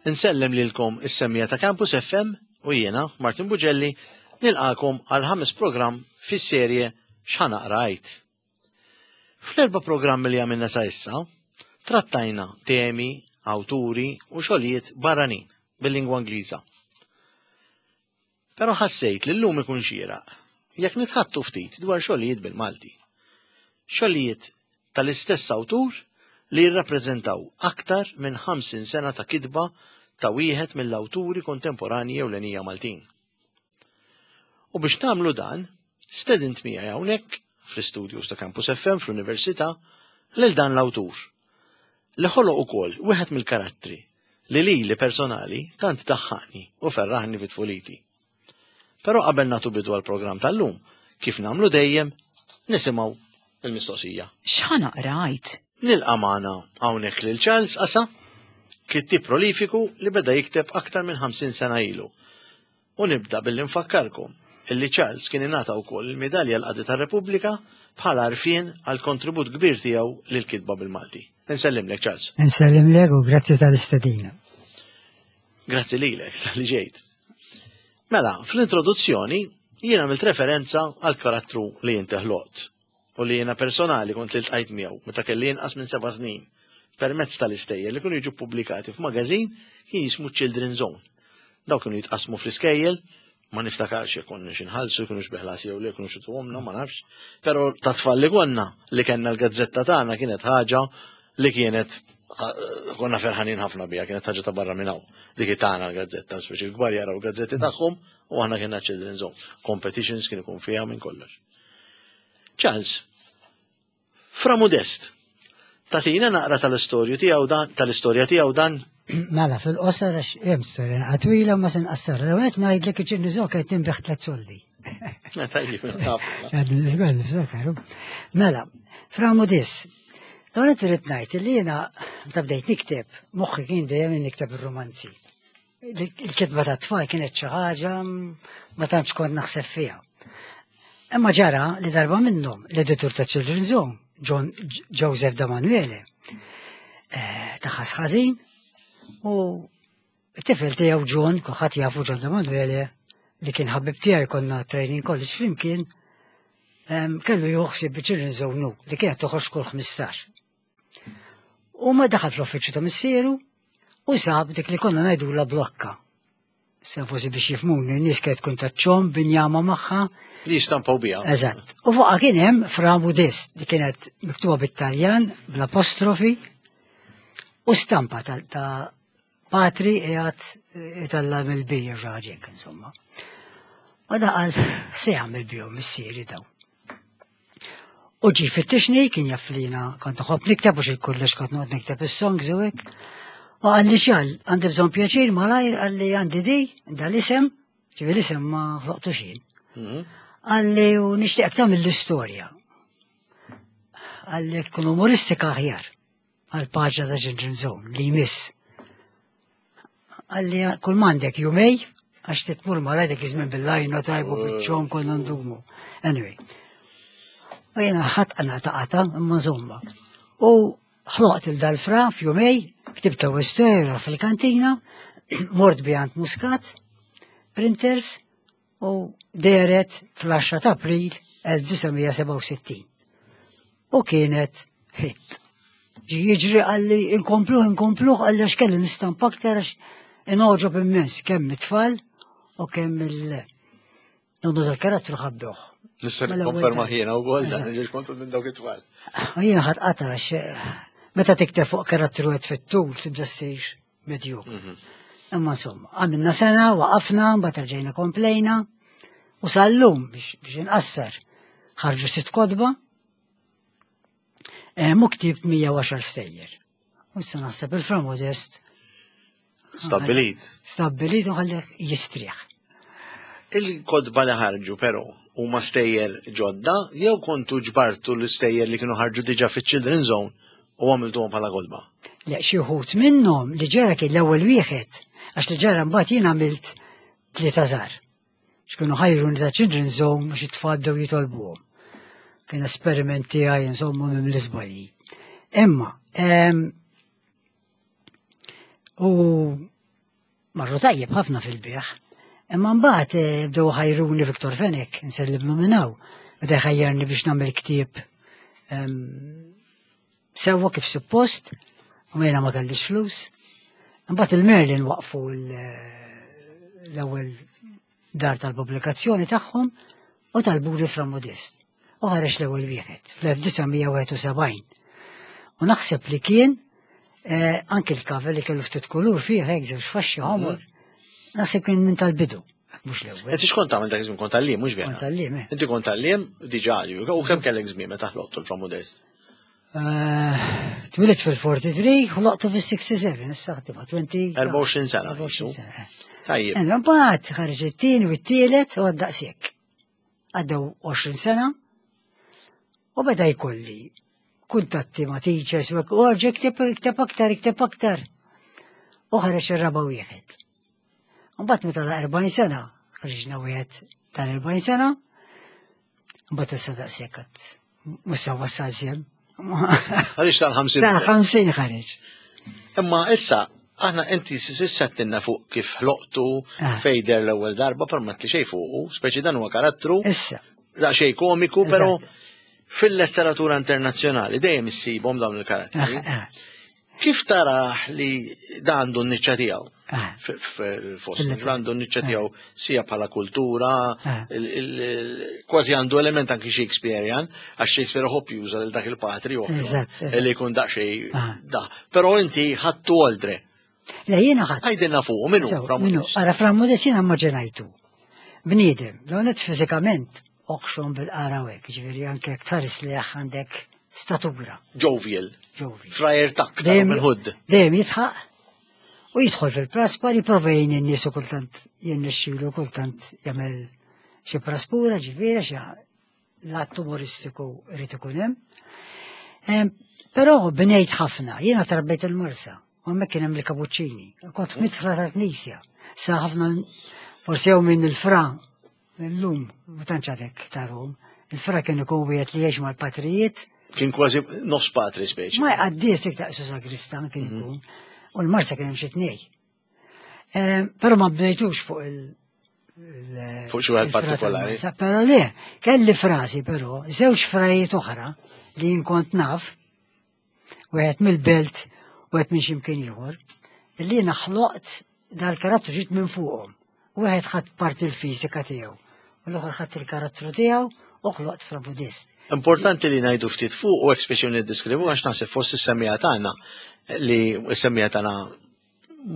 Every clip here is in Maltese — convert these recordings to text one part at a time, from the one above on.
Insellem lilkom is-semmija ta' Campus FM u jiena, Martin Bugelli, nilqakom għal ħames programm fis-serje X'ħa naqra għid. Fl-erba' programmi li għamilna sa issa, trattajna temi, awturi u xogħlijiet barranin bil-lingwa Ingliża. Però ħassejt li llum ikun xieraq jekk nitħattu ftit dwar xogħlijiet bil-Malti. Xogħlijiet tal-istess awtur li jirrappreżentaw aktar minn 50 sena ta' kitba ta' wieħed mill-awturi kontemporanji ewlenija Maltin. U biex nagħmlu dan, stedint miegħi hawnhekk fl-istudios ta' Campus FM fl-Università lil dan l-awtur li ħoloq ukoll wieħed mill-karattri li lili personali tant daħħaqni u ferraħni fi tfuliti. Però qabel nagħtu bidu għall-programm tal-lum, kif nagħmlu dejjem, nisimgħu il-mistoqsija. X'ħa naqra għid? Nilqa' magħna hawnhekk lil Charles Qasa, kittieb prolifiku li beda jikteb aktar minn 50 sena ilu. U nibda billi nfakkarkom illi Charles kien ingħata wkoll il-Midalja l-Qadi tar-Repubblika bħala għarfien għall kontribut kbir tiegħu lill-kitba bil-Malti. Insellimlek Charles. Insellimlek u grazzi tal-istedina. Grazzi lilek tal-li ġejt. Mela, fl-introduzzjoni jien għamilt referenza għal karattru li inti ħloqt u li jiena personali kont iltqajt miegħu meta kelli inqas minn seba' snin permezz tal-istejjer li kienu jiġu pubblikati f'magazin kien jismu Children's Zone. Daw kienu jitqasmu fl-iskejjel, ma niftakarx jekk konna xinħallsu, kienu xbiħlas jew le, kienu xituhomna, ma nafx. Però ta' tfal li konna li kellna l-gazzetta tagħna kienet ħaġa li kienet konna ferħanin ħafna biha, kienet ħaġa ta' barra minn hawn. Dik tagħna l-gazzetta, speċi l-kbar jaraw gazzetti tagħhom u aħna kienna Children's Zone. Competitions kien ikun fiha minn kollox. Charles, Fra Modest, tatina naqra tal-istorju tiegħu dan, tal-istorja tiegħu dan? Mela, fil-qosor għax hemm storja naqra twila ma se nqassarha. L-ewwel qed ngħidlek iċ-Children's Zone kienet tinbigħ tliet soldi. Tajjeb, Mela, Fra Modest, l-ewwel qed irid ngħid li jiena meta bdejt nikteb, moħħi kien dejjem nikteb ir-romanzi. Il-kitba ta' tfal kienet xi ħaġa ma tantx kont naħseb fiha. Imma ġara li darba minnhom l-editur ta' Children's Zone, John Joseph Damanuele, eh, taħas ħażin u t-tifel tiegħu John, kulħadd jafu John Damanuele, li kien ħabib tiegħi konna training college flimkien, kellu juħsib Children's Zone li kienet toħroġ kull 15. U ma daħal fl-uffiċċju ta' missieru u sab dik li konna ngħidula blokka. Sa forsi biex jifmuni, n-nies kienet tkun ta' ċom binjama magħha. Li jistampaw biha. Eżatt. U fuqha kien hemm Fra Mudis li kienet miktuba bit-Taljan bl-apostrofi u stampa ta' patri qiegħed italla mill-bir raġek insomma. U daqal se jagħmel bihom missieri daw. U ġi fittixni, kien jaf li jiena kont nħobb nikteb u xi kollox kont noqgħod nikteb is-songs u hekk. U qalli xal, għandi bżonn pjaċir malajr, qalli għandi di, dal-isem, ġifi l-isem ma ħloqtux jien. Mhm. Qalli u nixtieq tagħmel l-istorja. Qalli tkun umoristika aħjar għal paġna ta' Children's Zone li jmiss. Għalli kull m'għandek jumej, għax titmur malaj dak iż-żmien bil-lajna tajbu biċ-ċom konna ndumu. Anyway. U jena ħadd għana ta' qata imma żomma. U ħloqt il dal-fra f'jumej, ktibta istorja fil-kantina, mort bi għand Muscat, printers, u dehret fl-10 ta' April 1967. U kienet hit. Ġi jiġri għalli inkompluh, inkompluh, għalli għax kelli nistampa aktar għax inoġob immens kemm it-tfal u kemm il- Nonnu dal-karattru ħabbuh. Nista' mela nikkonferma jiena wkoll dan ġiel kontu minn dawk it-tfal. U jiena ħadd qata għax eh, meta tikteb fuq karattru qed fit-tul tibda ssir medju. Mhm. Imma insomma, għamilna sena, waqafna, mbagħad rġejna komplejna u sal-lum biex inqassar ħarġu sitt kotba eh, mu ktib 110 stejjer. U issa naħseb il-Fra Modest Stabbilit. Stabbilit u ħallih jistrieħ. Il-kotba li ħarġu però huma stejjer ġodda jew kontu ġbartu l-istejjer li kienu ħarġu diġà fiċ-Children's Zone u għamiltuhom bħala kotba? Le xi wħud minnhom li ġara kien l-ewwel wieħed għax li ġara mbagħad jien għamilt tlieta żgħar. X'kienu ħajruni ta' Children's Zone biex it-tfal bdew jitolbuhom. Kien esperiment tiegħi insomma minn l-iżbalji. Imma u. Marru tajjeb ħafna fil-bieħ. Imma mbagħad eh, bdew ħajruni Viktor Fenek, nsellimlu minn hawn. Beda jħajjarni biex nagħmel ktieb ehm, sewwa kif suppost, u jiena ma kellix flus. Imbagħad il-Merlin waqfu eh, l-ewwel dar tal-pubblikazzjoni tagħhom u talbuli Fra Modest. U ħareġ l-ewwel wieħed fl-1971. U naħseb li kien eh, anki l-cover li kellu ftit kulur fih hekk żewġ faxxi ħomor. Mhm. Naħseb kien minn tal-bidu. Mhux l-ewwel. Inti x'kont tagħmel dak iż-żmien kont għalliem mhux vera? Kont għalliem, eh. Inti kont għalliem diġà u kemm kellek żmien meta ħloqtu l-Fra Modest? Eh, Twilit fil-43, ħloqtu fil-67, issa ħdima 20. 24 sena. 24 sena. Eh. Tajjeb. Eh, mbagħad ħareġ it-tieni u t-tielet u għaddaqsek. Għaddew 20 sena u beda jkolli kuntatti ma' teachers u għarġa ikteb aktar, ikteb aktar. U ħareġ ir-raba' wieħed. Mbagħad meta la 40 sena, ħriġna wieħed tal-40 sena, mbagħad issa daqshekk għad mhux se wassal sem. Ħareġ tal-50. Tal-50 ħareġ. Imma issa aħna inti sissa tinna fuq kif ħloqtu ah. fejder l-ewwel darba per ma xejn fuqu, speċi dan huwa karattru. Issa. Da xejn komiku, però fil-letteratura internazzjonali dejjem issibhom dawn il-karattri. Ah, ah. Kif taraħ li da għandu n-niċċa tiegħu? Ah. Fost, għandu n-niċċa tiegħu sija bħala kultura, ah. kważi għandu element anki Shakespearean, għax Shakespeare ħobb juża lil dak il-patri li jkun daqsxejn ah. da. Però inti ħadtu oltre. Le jiena ħadd. Għajdilna fuq, minnu, minnu. Ara Fra Modest jiena immaġinajtu. Bniedem, l-għonet fizikament oħxon bil-qara u hekk, ġifieri anke jekk tħares li għandek statura. Jovial. Jovial. Frajer tak, dejjem il-ħud. Dejjem jitħaq u jidħol fil-praspar jipprova jgħin in-nies u kultant jirnexxilu kultant jagħmel xi praspura ġifieri xi l-att umoristiku irid ikun hemm. Però bnejt ħafna, jiena trabejt il-Marsa, u hemmhekk kien hemm il-kapuċċini. Kont mitħla tal-knisja. Sa ħafna forsi jew minn il-fra Illum, ma tantx għadek tarhom. Il-fra kien ikun wieħed li jgħix mal-patrijiet. Kien kważi nofs patri speċi. Ma jqaddis iktar su sagristan kien mhm. ikun. U l-Marsa kien hemm xi tnej. Eh, però ma bdejtux fuq il- Fuq xi wieħed partikolari. Però le, kelli frasi però, żewġ frajiet oħra li jien kont naf, wieħed mill-belt u wieħed minn x'imkien ieħor, li jiena ħloqt dal-karattru ġiet minn fuqhom. Wieħed ħadd parti l-fiżika tiegħu u l-oħra ħadd il-karattru tiegħu u ħloqt fra Buddhist. Importanti li ngħidu ftit fuq u hekk speċi niddiskrivu għax naħseb fost is-semmija tagħna li s-semmija tagħna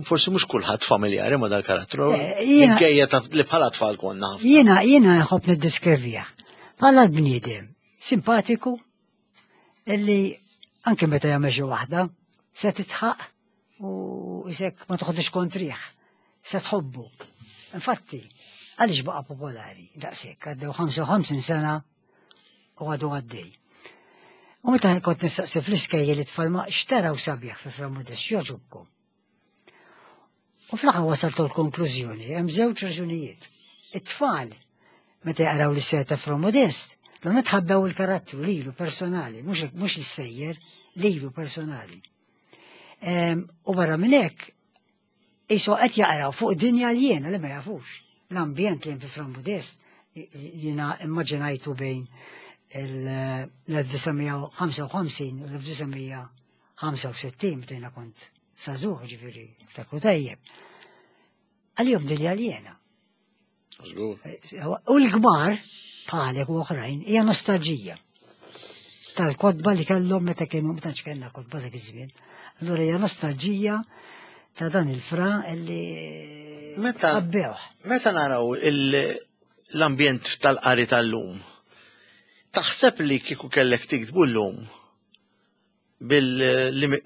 forsi mhux kulħadd familjari ma dal-karattru. Eh, minkejja li bħala tfal konna. Jiena jiena nħobb niddiskrivija. Bħala l-bniedem simpatiku illi anke meta jagħmel xi waħda se titħaq u isek ma toħodix kontrih, se tħobbu. Infatti, għaliex baqa' popolari daqshekk għaddew 55 sena u għadu għaddej. U meta kont nistaqsi fl-iskejjel it-tfal ma xtaraw sabiħ fi Fra Modest joġobkom. U fl-aħħar wasaltu l-konklużjoni, hemm żewġ raġunijiet. It-tfal, meta jaqraw l-istejjer ta' Fra Modest, l tħabbew il-karattru lilu personali, mhux l-istejjer, lilu personali. Ehm, u barra minn hekk, isu qed jaqraw fuq dinja li jiena li ma jafux. L-ambjent li hemm fi Fra Modest jiena immaġinajtu bejn l-1955 u l-1965 meta jiena kont Sażuħ ġifieri, ftakru tajjeb. Għalihom dinja aljena. Żgur. U l-kbar, bħalek u oħrajn, hija nostalġija tal-kodba li kellhom meta kienu ma tantx kellna kodba dak iż-żmien. Allura hija nostalġija ta' dan il-fra li meta Meta naraw l-ambjent tal-qari tal-lum, taħseb li kieku kellek tiktbu l-lum bil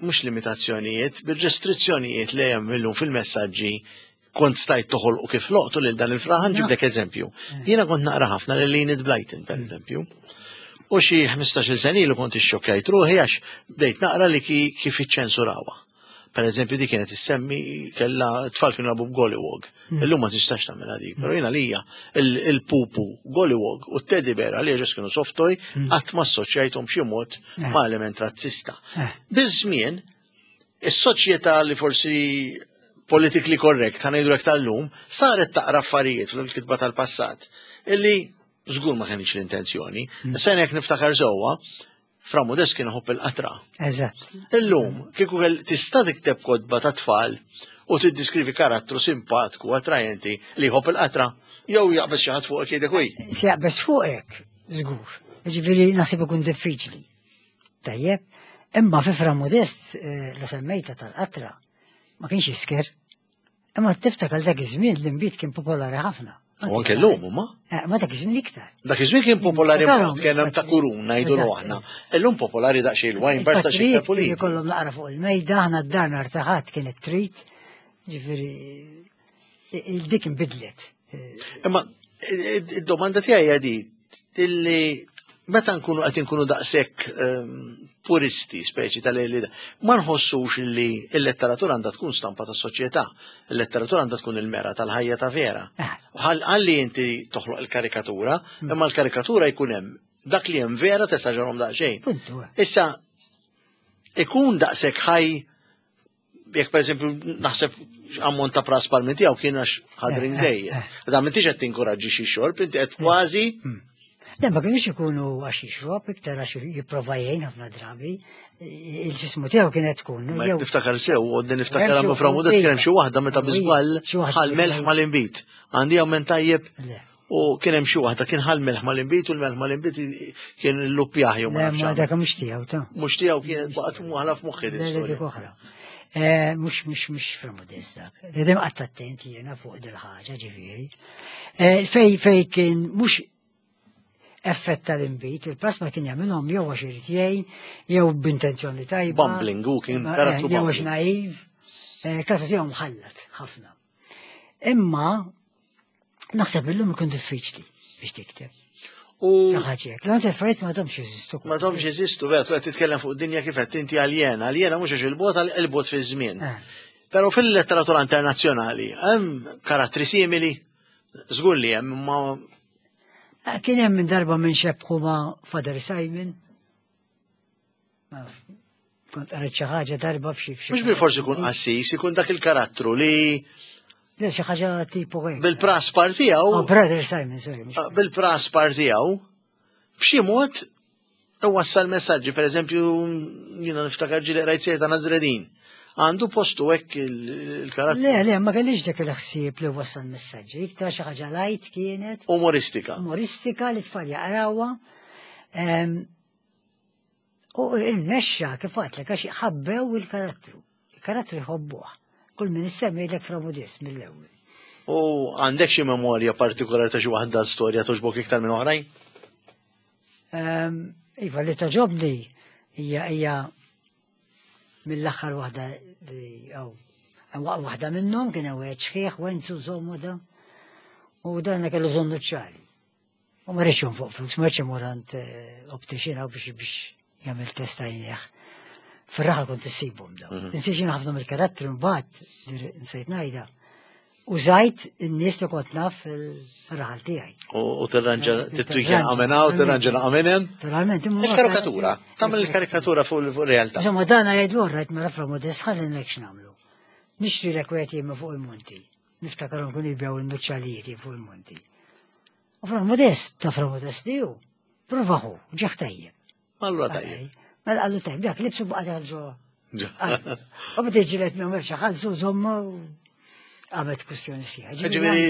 mhux limitazzjonijiet, bil-restrizzjonijiet li hemm illum fil-messaġġi kont stajt toħolqu kif loqtu lil dan il-fraħan ġiblek eżempju. Eh. Jiena kont naqra ħafna lil Enid Blyton, per mm. eżempju. U xi 15-il sena ilu kont ixxokkjajt ruħi għax bdejt naqra li kif iċċensurawha. Per eżempju, di kienet issemmi kella tfal kienu labu b'Gollywog. Hmm. Illum ma tistax tagħmilha dik, però jiena lija il-pupu Gollywog u t-teddy bear għalija ġes kienu softoj hmm. qatt ma assoċjajthom b'xi mod eh. ma' element razzista. Eh. Biż-żmien, is-soċjetà li forsi politically correct, ħa ngħidu tal-lum, saret taqra affarijiet fil-kitba tal-passat illi żgur ma kienx l-intenzjoni. Issa jekk niftakar sewwa, Fra Modest kien iħobb il-qatra. Eżatt. Illum, kieku tista' tikteb kotba ta' tfal u tiddiskrivi karattru simpatku, attrajenti li jħobb il-qatra, jew jaqbeż xi ħadd fuqek jgħidek uj. Se jaqbeż fuqek, żgur. Ġifieri naħseb ikun diffiċli. Tajjeb, imma fi Fra Modest eh, la semmejta tal-qatra ma kienx jisker. Imma tiftakar dak iż-żmien l-inbid kien popolari ħafna. U anke llum huma. Eh, ma dak iż-żmien iktar. Dak iż-żmien kien popolari mod kien hemm ta' kurun ngħidu aħna. Illum popolari daqsxejn il-wine bar ta' xi pulit. Kollhom naqra fuq il-mejda, aħna d-dar nhar ta' ħadd kienet trid. Ġifieri il-dik inbidlet. Imma id-domanda tiegħi hija di illi meta nkunu qed inkunu daqshekk ehm, puristi speċi tal-li ma nħossux li l-letteratura għandha tkun stampa tas soċjetà, il-letteratura għandha tkun il-mera tal-ħajja ta' vera. Ah. Ħalli inti toħloq il-karikatura, hmm. imma l-karikatura jkun hemm dak li hemm vera tesaġerhom daqsxejn. Eh. Issa ikun daqshekk ħaj jekk per eżempju naħseb ammont ta' pras palmi tiegħu kien għax ħadrin eh, eh, żejjed. Eh. Da m'intix qed tinkoraġġi xi xorb, inti qed kważi. Hmm. Le, ma kienx ikunu għax jixrob, iktar għax jipprova jgħin ħafna drabi, il-ġismu tiegħu kienet tkun. Niftakar sew, u niftakar għamlu fra modest kien hemm xi waħda meta biżball ħal melħ mal-inbit. Għandi għammen tajjeb. U kien hemm xi waħda kien ħal melħ mal-inbit u l-melħ mal-inbit kien l-luppjaħ jew ma nafx. Dak mhux tiegħu ta'. Mhux tiegħu kienet baqgħet mwaħla f'moħħi din storja. oħra. Eh, mhux mhux mhux fra modest dak. Dejjem qatt attent jiena fuq dil-ħaġa ġifieri. Eh, fej fej kien mhux effett tal-inbit, il-plasma kien jagħmilhom jew għax irid jgħin, jew b'intenzjoni tajba. Bumbling, u kien eh, karattru Jew għax naiv, karattru tiegħu mħallat ħafna. Imma Naħseb illum ikun diffiċli biex tikteb. U ħaġek, l affarijiet ma domx jeżistu. Ma domx jeżistu, vera, qed titkellem fuq dinja kif qed inti aljena, aljena mhux għax il-bot il-bot fi żmien. Eh. Però fil-letteratura internazzjonali hemm karattri simili, żgur li hemm ma eh, Kien hemm minn darba minn xebħu ma' Father Simon, Kont qrajt xi ħaġa darba f'xi f'xi. Mhux bil-forsi ikun qassis, ikun dak il-karattru li Le xi ħaġa tipo hekk. Bil-praspar tiegħu. Oh, brother Simon, sorry. Ah, bil-praspar tiegħu, b'xi mod wassal messaġġi, per eżempju, jiena niftakar ġieli qrajt sejta Nazredin. Għandu postu hekk il-karattru. Le, le, ma kellix dak il-ħsieb li wassal messaġġi, iktar xi ħaġa lajt kienet. Umoristika. Umoristika li tfal jaqrawha. Ehm, U irnexxa kif għadtlek għax ħabbew il-karattru. Il-karattru jħobbuh. Kull min issemmi jgħidlek Fra Modest mill-ewwel. U għandek xi memorja partikolari ta' xi waħda storja toġbok iktar minn oħrajn? Ehm, iva li toġobni hija hija mill-aħħar waħda li għaw. Waħda minnhom kien hemm wieħed xħieħ Wenzu Zomoda u dan kellu żonnu ċari. U ma rridx fuq flus, ma rridx imur għand eh, optician għaw biex biex jagħmel test għajnieħ. Fir-raħal kont issibhom daw. Mhm. Tinsiex jien ħafna mill-karattri mbagħad nsejt ngħidha. Użajt in-nies li kont naf fil-raħal tiegħi. U tirranġa eh, titwikja għamena u tirranġa għamenem. Naturalment. Il-karikatura, tagħmel il-karikatura fuq il-realtà. Insomma, dan jgħidu rajt mela fra modest ħalli ngħid x'nagħmlu. Nixtri l-ekweti fuq il-monti. Niftakarhom kienu jibgħu n-nuċċalijiet fuq il-monti. U fra modest, ta' fra modest li hu, provaħu, ġeħ tajjeb. Allura tajjeb. Mela għallu tajjeb, dak libsu baqa' daħal ġo. U bda ġilet minn xi ħalsu żommu għamet kwestjoni sieħa. Ġifieri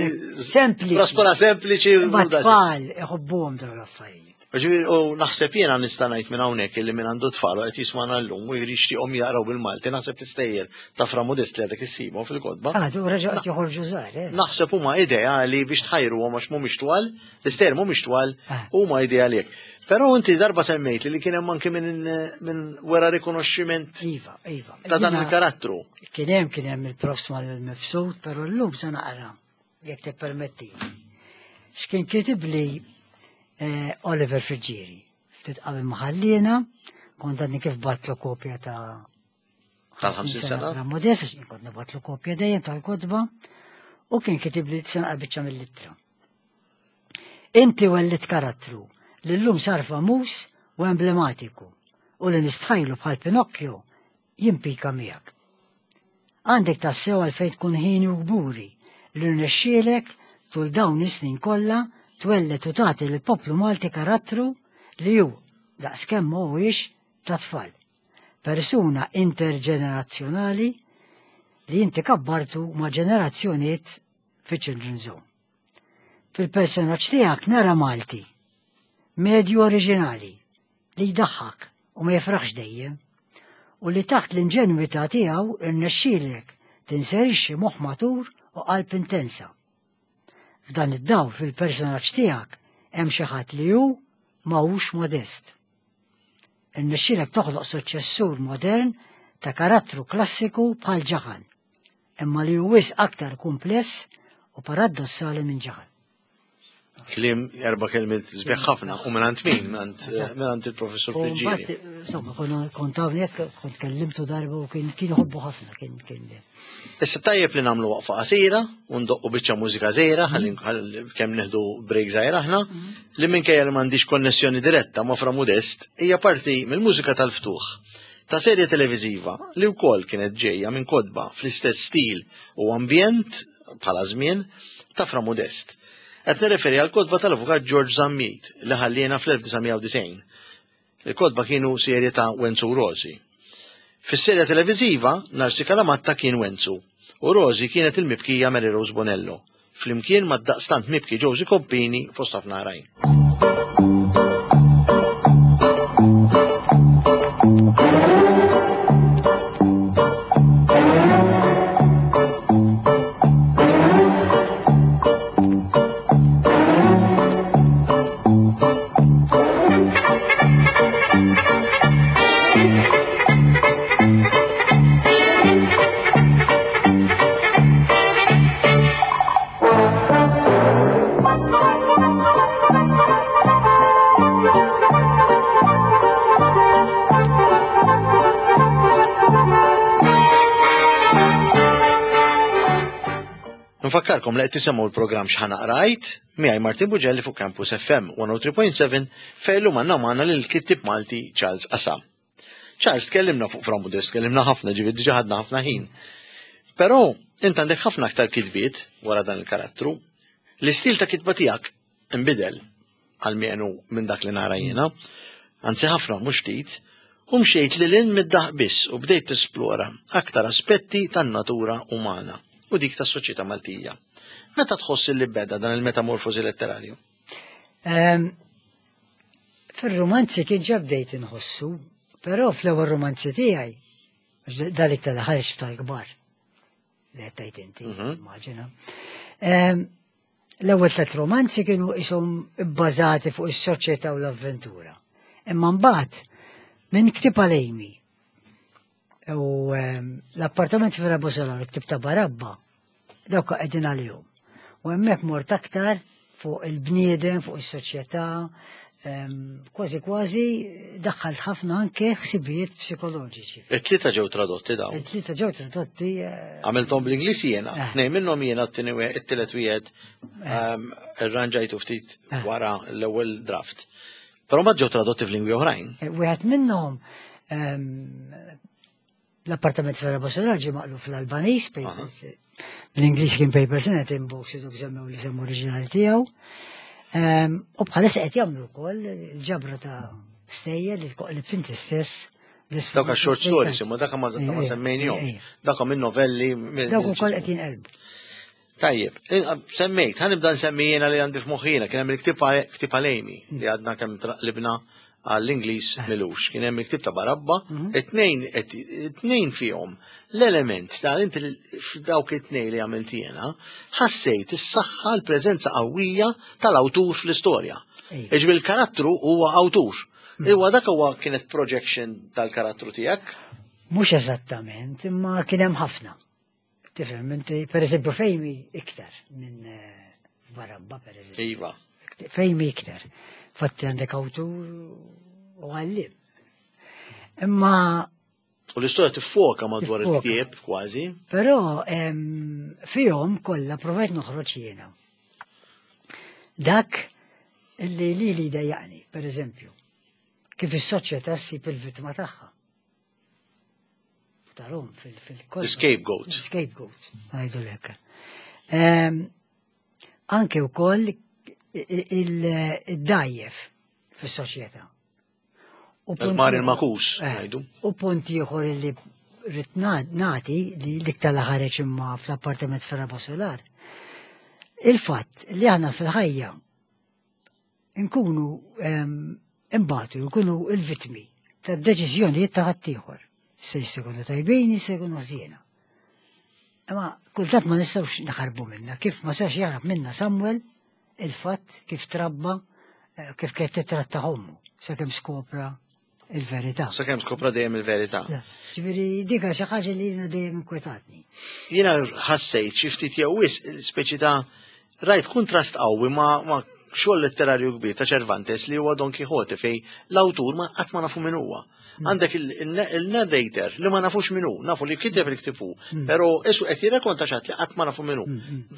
sempliċi. Raspora sempliċi. Ma tfal iħobbuhom dawn l-affarijiet. Ġifieri u naħseb jiena nista' ngħid minn hawnhekk illi minn għandu tfal u qed jismagħna llum u jixtieqhom jaqraw bil-Malti naħseb l-istejjer ta' Fra Modest li għadek issibhom fil-kotba. Ah, tu reġgħu qed joħorġu żgħar, eh? Naħseb huma ideali biex tħajruhom għax mhumiex twal, l-istejjer mhumiex twal, ah. huma ideali hekk. Però inti darba semmejt li kien hemm anke minn min wera rikonoxximent iva, iva. ta' dan il-karattru. Kien hemm kien hemm il-profs mal-mifsud, però llum se naqra jekk tippermetti. X'kien kitibli eh, Oliver Friggieri, ftit qabel ma ħallina, kont għadni kif batlu kopja ta' tal-50 sena. Ta' Modest, għax kont nibatlu kopja dejjem tal-kotba, u kien kitibli sena biċċa mill-ittra. Inti wellit karattru li llum sar famuż u emblematiku u li nistħajlu bħal Pinocchio jimpika miegħek. Għandek tassew għalfejn tkun ħieni u kburi li rnexxielek tul dawn is-snin kollha twelled u tagħti lill-poplu Malti karattru li hu, daqskemm ma huwiex, tat-tfal. Persuna interġenerazzjonali li inti kabbartu ma' ġenerazzjonijiet fiċ-Children's Home. Fil-personaġġ tiegħek nara Malti, medju oriġinali, li jdaħħak u ma jifraħx dejjem, u li taħt l-inġenwità tiegħu irnexxielek tinserixxi moħħ matur u qalb intensa. F'dan id-dawl fil-personaġġ tiegħek hemm xi ħadd li hu ma hux modest. Irnexxielek toħloq suċċessur modern ta' karattru klassiku bħal Ġaħan, imma li hu wisq aktar kumpless u paraddossali minn Ġaħan. Kliem erba' kelmiet sbieħ ħafna u mingħand min? Mingħand il-professur Friġġieri. Insomma, kont hawnhekk kont kellimtu darba u kien kien ħobbu ħafna kien kien. Issa tajjeb li nagħmlu waqfa qasira u ndoqqu biċċa mużika żgħira ħalli kemm nieħdu break żgħira aħna mhm. li minkejja li m'għandix konnessjoni diretta ma' Fra Modest hija parti mill-mużika tal-ftuħ ta' serje televiżiva li wkoll kienet ġejja minn kotba fl-istess stil u ambjent bħala żmien ta' Fra Modest. Qed nirreferi għal kotba tal-Avukat George Zammit li ħalliena fl-1990. Il-kotba kienu serje ta' Wenzu u Rosi. Fis-serje televiżiva, Narsi Kalamatta kien Wenzu u Rosi kienet il-mibkija Mary Rose Bonello, flimkien mad-daqstant mibki Josie Compini fost ħafna oħrajn. Nfakkarkom li qed tisimgħu l-programm X'Ħa Naqrajt miegħi Martin Bugelli fuq Campus FM 103.7 fejn llum għandna magħna lil kittib Malti Charles Qasam. Charles, tkellimna fuq Fra Modest, tkellimna ħafna, ġifieri diġà ħadna ħafna ħin. Però int għandek ħafna aktar kitbiet wara dan il-karattru. L-istil ta' kitba tiegħek inbidel għalmenu minn dak li nara jiena, anzi ħafna mhux ftit, u mxejt lil hinn mid-daħq biss u bdejt tisplora aktar aspetti tan-natura umana u dik tas-soċjetà Maltija. Meta tħoss li beda dan il-metamorfosi letterarju? Ehm, fir-romanzi kien ġa bdejt inħossu, però fl-ewwel romanzi tiegħi, dalik tal-ħarġ tal-kbar, li qed tgħid inti, mhm. immaġina. Ehm, l-ewwel tliet romanzi kienu ishom bbażati fuq is-soċjetà u l-avventura. Imma mbagħad minn ktib għalejmi u ehm, l-appartament fi Rabosolar, ktib ta' Barabba, dawk qegħdin għalihom. U hemmhekk mort aktar fuq il-bniedem, fuq is-soċjetà, kważi kważi daħħalt ħafna anke ħsibijiet psikoloġiċi. It-tlieta ġew tradotti dawn. It-tlieta ġew tradotti. Eh, Għamilthom bl-Ingliż jiena, eh. Nej minnhom jiena t-tieni it-tielet wieħed eh. irranġajtu ftit wara l-ewwel draft. Però ma ġew tradotti f'lingwi oħrajn. Wieħed minnhom L-appartament fl-Araba Solar ġie maqlub fl-Albaniż, bl-Ingliż kien Papers in a Tin Box, dok semmew li semmu oriġinali tiegħu. Ehm, u bħalissa qed jagħmlu wkoll il-ġabra ta' stejjer li tkoqlib inti stess. Dawk short stories, imma dak ma semmejnihomx. Dak minn novelli. Dawk ukoll qed jinqelbu. Tajjeb, semmejt, ħa nibda nsemmi jiena li għandi f'moħħina, kien hemm il-ktieb ktieb għalejmi li għadna kemm traqlibna għall-Ingliż eh. milux. Kien hemm il-ktieb ta' Barabba, mhm. it-tnejn it-tnejn fihom l-element ta' inti f'dawk it-tnejn li għamilt jiena, ħassejt is-saħħa l-preżenza qawwija tal-awtur fl-istorja. Iġbi l-karattru huwa awtur. Mhm. Iwa dak huwa kienet projection tal-karattru tiegħek? Mhux eżattament, imma kien hemm ħafna. Tifhem, inti, per eżempju, fejmi iktar minn eh, Barabba, per eżempju. Iva. Fejmi iktar. Fatti għandek awtur u għallim. Imma. U l-istorja tiffoka madwar il-ktieb, kważi. Però fihom kollha provajt noħroġ jiena. Dak li li li dejjaqni, per eżempju, kif is-soċjetà ssib il-vittma tagħha. Tarhom fil-kotba. Scapegoat. Scapegoat, ngħidu lek. Anke wkoll il-dajjef fis-soċjetà. Il-mar il-makus, eh, ngħidu. U punt ieħor li rrid nagħti li l-iktar li ħareġ imma fl-appartament fir-raba solar. Il-fatt li aħna fil-ħajja nkunu imbatu, nkunu il-vitmi ta' deċiżjonijiet ta' ħaddieħor. Se jkunu tajbin, se jkunu ħżiena. Imma kultant ma nistgħux naħarbu minna, kif ma sax jaħrab minna Samuel il-fatt kif trabba eh, kif kienet titratta ommu sakemm skopra il-verità. Sakemm skopra dejjem il-verità. Ġifieri dika xi ħaġa li jiena dejjem inkwetatni. Jiena ħassejt xi ftit jew wisq speċi ta' rajt kuntrast qawwi ma' ma xogħol letterarju kbir ta' Cervantes li huwa Don Quixote fej l-awtur ma qatt ma nafu min huwa. Għandek il-narrator li ma nafux min hu, nafu li kiteb il-ktieb hu, però isu qed jirrakonta xi ħadd li qatt ma nafu min hu.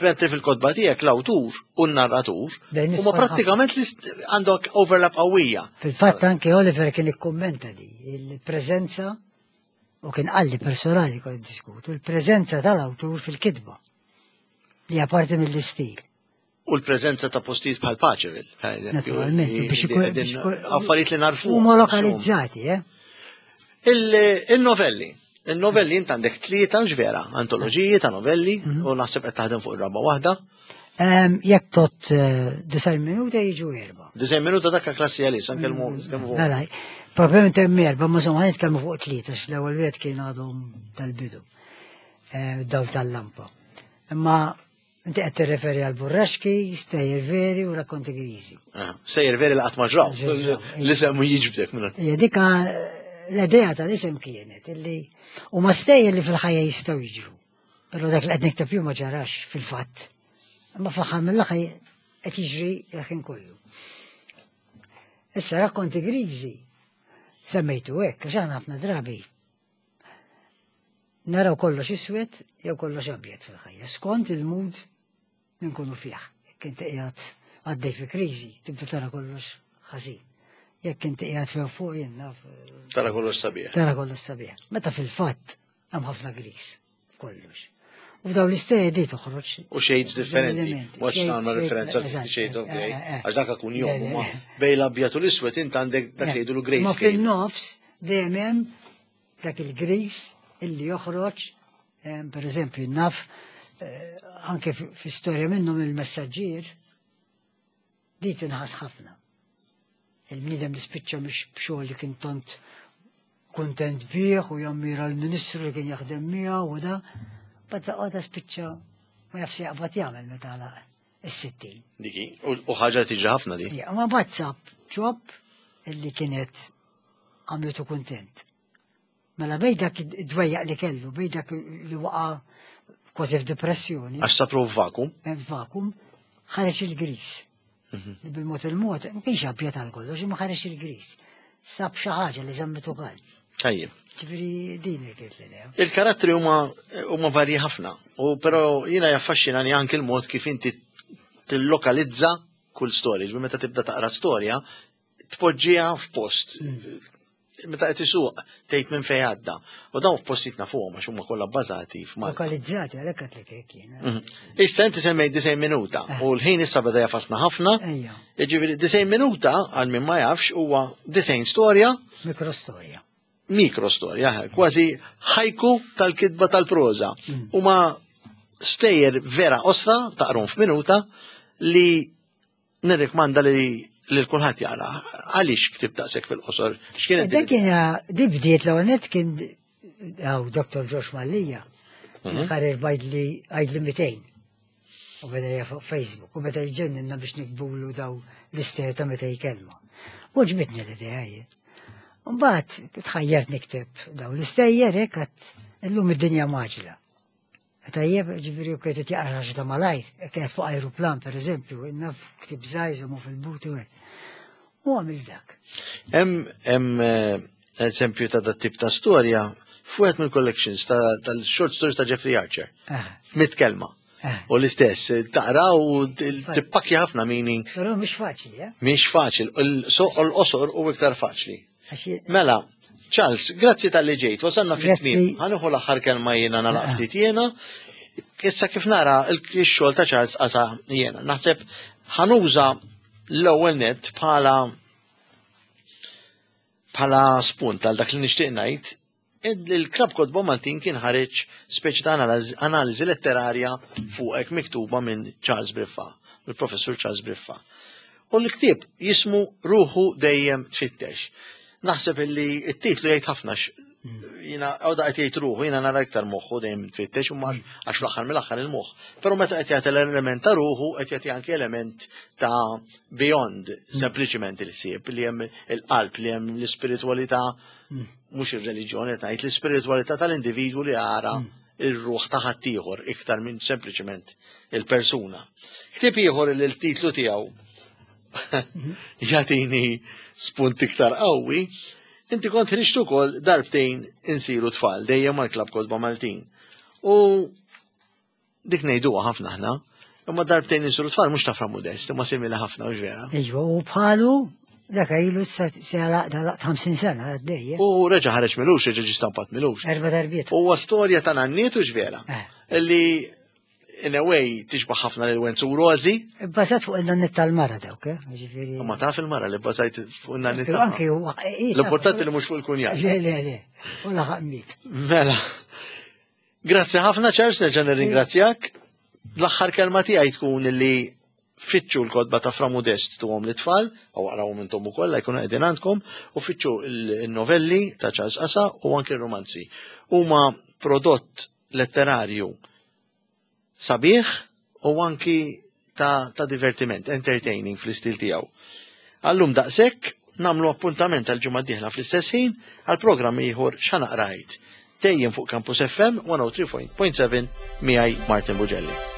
Mentri fil-kotba tiegħek l-awtur u n-narratur huma prattikament għandok overlap qawwija. Fil-fatt anke Oliver kien ikkummenta di il-preżenza u kien qalli personali kont diskutu il-preżenza tal-awtur fil-kitba li hija parti mill-istil. U l-preżenza ta' postijiet bħal Paċeville. Naturalment, biex ikun affarijiet li narfu. Huma lokalizzati, eh? Il-novelli. Il-novelli int għandek tlieta ġvera, antoloġiji ta' novelli, mhm. u naħseb qed taħdem fuq ir-raba waħda. Jekk tot eh, disajn minuta jiġu erba. Disajn minuta dakka klassi għalis, anke l-mu. Mela, probablement hemm erba, ma somma nitkellmu fuq tlieta, l-ewwel wieħed kien għadhom tal-bidu, eh, daw tal-lampa. Imma Inti qed tirreferi għal burraxki, stejjer veri u rakkonti griżi. Ah, stejjer veri li qatt ma ġraw. L-isem jiġbdek minn. Hija dika l-idea tal-isem kienet illi huma stejjer li fil-ħajja jistgħu jiġru. Però dak li qed nikteb jew ma ġarax fil-fatt. Imma fl-aħħar mill-aħħar qed jiġri l-ħin kollu. Issa rakkonti griżi semmejtu hekk għax aħna ħafna drabi Naraw kollox iswed jew kollox abjad fil-ħajja, skont il-mood li nkunu fih. Jekk inti qiegħed għaddej fi kriżi, tibda tara kollox ħażin. Jekk inti qiegħed few fuq jien naf. Tara kollox sabiħ. Tara kollox sabiħ. Meta fil-fatt hemm ħafna griż f'kollox. U f'daw l-istejjer di toħroġ. U shades differenti. Mhux nagħmel referenza għal Fifty Shades of Grey, eh, eh, eh. għax dak kun jom huma bejn l-abjad u l-iswed int għandek dak li jgħidu l-grey Ma fil-nofs dejjem hemm dak il-gris illi joħroġ, per eżempju, naf eh, anke fi storja minnhom il-messaġġier, di tinħas ħafna. Il-bniedem li spiċċa mhux b'xogħol li kien tant kuntent bih u jammira l-ministru li kien jaħdem miegħu u da, bada għada spiċċa ma jafx jaqbad jagħmel meta għalaq is-60. Diki, u ħaġa tiġi ħafna di. Ja, ma bad sab ġob illi kienet għamlitu kuntent. Mela bej dak id-dwejjaq li kellu, bej dak li waqa' kważi f'depressjoni. Għax sapru f'vakum. Eh, f'vakum, ħareġ il-gris. Mhm. Li bil-mod il-mod, ma kienx abjad għal kollox, imma ħareġ il-gris. Sab xi ħaġa li żammitu kal. Tajjeb. Ġifieri din kienet l-idea. Il-karattri huma huma varji ħafna, u però jiena jaffaxxinani anke l-mod kif inti tillokalizza kull storja. Ġifieri meta tibda taqra storja, tpoġġiha f'post. Mm. Meta qed isuq tgħid minn fejn għadda. U dawn f'postijiet nafuhom għax huma kollha bbażati f'Malta. Lokalizzati għalhekk qed lek hekk jiena. Mhm. Issa inti semmejt disejn minuta eh. u l-ħin issa beda jafasna ħafna. Jiġifieri disejn minuta għal min ma jafx huwa disejn storja. Mikrostorja. Mikrostorja, eh, kważi ħajku tal-kitba tal-proża. Mm. Huma stejjer vera osra taqrom f'minuta li Nirrikmanda li lil kulħadd jaqra. Għaliex ktib daqshekk fil-qosor? X'kienet Dak kien di bdiet l net kien għaw Dr. Josh Mallija. Mhm. Ħarir bajdli għajdli 200. U beda fuq Facebook u beda jġenninna biex nikbulu daw l-ister ta' meta jkelma. U ġbitni l-idea jien. Mbagħad tħajjart nikteb daw l-istejjer hekk għad illum id-dinja maġla. Tajjeb, ġifieri u kienet jaqra ħaġa ta' malajr, kienet fuq ajruplan per eżempju, naf ktib żgħir mu fil-but u hekk. U għamil dak. Hemm eh, eżempju ta' dat tip ta' storja fuqet mill-collections tal-short stories ta' Jeffrey Archer. Ah. F'mit kelma. Ah. U l-istess, taqra u tippakja ħafna meaning. Però mhix faċli, eh? Mhix faċli, l-qosor u iktar faċli. Mela, Charles, grazzi tal-li ġejt, wasalna fit-tmiem. Ħa nieħu l-aħħar kelma jiena nagħlaq ftit jiena. Issa kif nara il-xogħol ta' Charles qasa jiena. Naħseb ħanuża l-ewwel net bħala bħala spunt għal dak li nixtieq ngħid il-Klabb Kotba Maltin kien ħareġ speċi ta' analiżi letterarja fuqek miktuba minn Charles Briffa, il-professur Charles Briffa. U l-ktieb jismu Ruħu dejjem tfittex. Naħseb illi t-titlu jgħid ħafna jina għoda qed jgħid ruħu, jina nara iktar moħħu dejjem tfittex u għax fl-aħħar mill-aħħar il-moħħ. Però meta qed jagħti l-element ta' ruħu qed jagħti anke element ta' beyond sempliċiment il-ħsieb li hemm il-qalb li hemm l-ispiritwalità mhux ir-reliġjoni qed ngħid l-ispiritwalità tal-individwu li jara ir-ruħ ta' ħaddieħor iktar minn sempliċement il-persuna. Ktieb ieħor li l-titlu tiegħu jagħtini spunt iktar qawwi, inti kont ħriġt ukoll darbtejn insiru tfal dejjem mal-Klabb Kotba Maltin. U dik ngħiduha ħafna aħna, imma darbtejn insiru tfal mhux ta' Fra Modest, imma simili ħafna u vera. Iva, u bħalu dak ilu sa 50 sena għaddej. U reġa' ħareġ milux, reġa' ġie stampat milux. Erba' darbiet. Huwa storja ta' nanniet u vera. Illi in a way tixbaħ ħafna lil Wenzu u Rozi. Bbażat fuq il-nanniet tal-mara dawk, eh? Ġifieri. Ma taf il-mara li bbażajt fuq il-nanniet tal Anki huwa. L-importanti li mhux fuq il-kunjat. Le, le, le. U laħaq miet. Mela. Grazzi ħafna Charles, nerġa' nirringrazzjak. L-aħħar kelma tiegħi tkun li fitxu l-kotba ta' Fra Modest tuhom l-itfal, u aqrawhom intom ukoll la jkunu qegħdin għandkom, u fitxu l-novelli ta' Charles Qasa u anke r-romanzi. Huma prodott letterarju sabiħ u anki ta', ta divertiment, entertaining fl-istil tiegħu. Għallum daqshekk namlu appuntament għal ġimgħa d-dieħla fl-istess ħin għal programm ieħor x'għana qrajt. Dejjem fuq Campus FM 103.7 miegħi Martin Bugelli.